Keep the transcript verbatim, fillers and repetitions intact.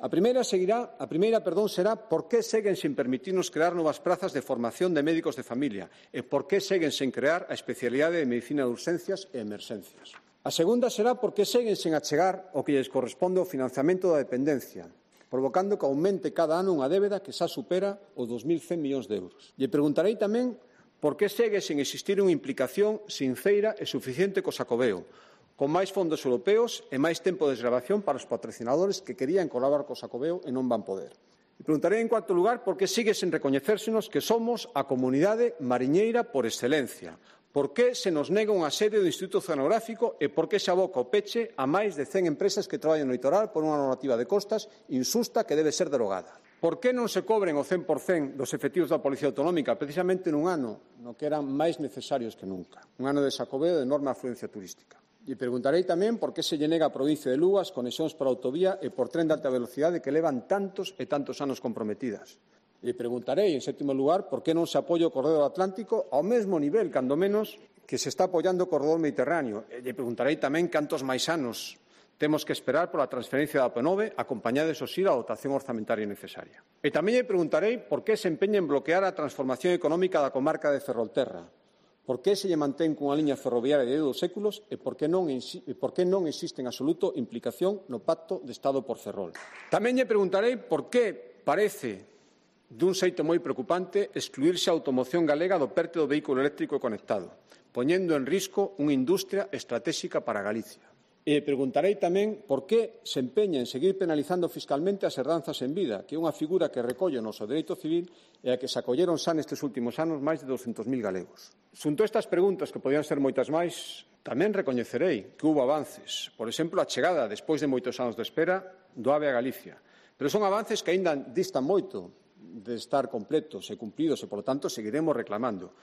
A primeira, seguirá, a primeira perdón, será por que seguen sen permitirnos crear novas prazas de formación de médicos de familia e por que seguen sen crear a especialidade de medicina de urxencias e emerxencias. A segunda será por que seguen sen achegar o que lles corresponde ao financiamento da dependencia, provocando que aumente cada ano unha débeda que xa supera os dos mil cen millóns de euros. Lle preguntarei tamén por que segue sen existir unha implicación sincera e suficiente co Xacobeo, con máis fondos europeos e máis tempo de desgravación para os patrocinadores que querían colaborar co Xacobeo e non van poder. E preguntarei, en cuarto lugar, por que sigue sen recoñecérsenos que somos a comunidade mariñeira por excelencia. Por que se nos nega unha sede do Instituto Oceanográfico e por que se aboca o peche a máis de cen empresas que traballan no litoral por unha normativa de costas insusta que debe ser derogada. Por que non se cobren o cen por cen dos efectivos da Policía Autonómica precisamente nun ano no que eran máis necesarios que nunca, un ano de Xacobeo de enorme afluencia turística? E preguntarei tamén por que se lle nega a provincia de Lugo as conexións por autovía e por tren de alta velocidade que levan tantos e tantos anos comprometidas. E preguntarei, en sétimo lugar, por que non se apoia o corredor atlántico ao mesmo nivel, cando menos, que se está apoiando o corredor mediterráneo. E lle preguntarei tamén cantos máis anos temos que esperar pola transferencia da P nove acompañada, eso sí, da dotación orzamentaria necesaria. E tamén lle preguntarei por que se empeña en bloquear a transformación económica da comarca de Ferrolterra. Por que se lle mantén cunha liña ferroviaria de dous séculos e por que non, e por que non existe en absoluto implicación no Pacto de Estado por Ferrol. Tamén lle preguntarei por que parece dun xeito moi preocupante excluirse a automoción galega do perte do vehículo eléctrico conectado, poñendo en risco unha industria estratégica para Galicia. E preguntarei tamén por que se empeña en seguir penalizando fiscalmente as herdanzas en vida, que é unha figura que recolle o noso dereito civil e a que se acolleron xa nestes últimos anos máis de douscentos mil galegos. Xunto a estas preguntas, que podían ser moitas máis, tamén recoñecerei que houbo avances. Por exemplo, a chegada, despois de moitos anos de espera, do AVE a Galicia. Pero son avances que aínda distan moito de estar completos e cumpridos e, polo tanto, seguiremos reclamando.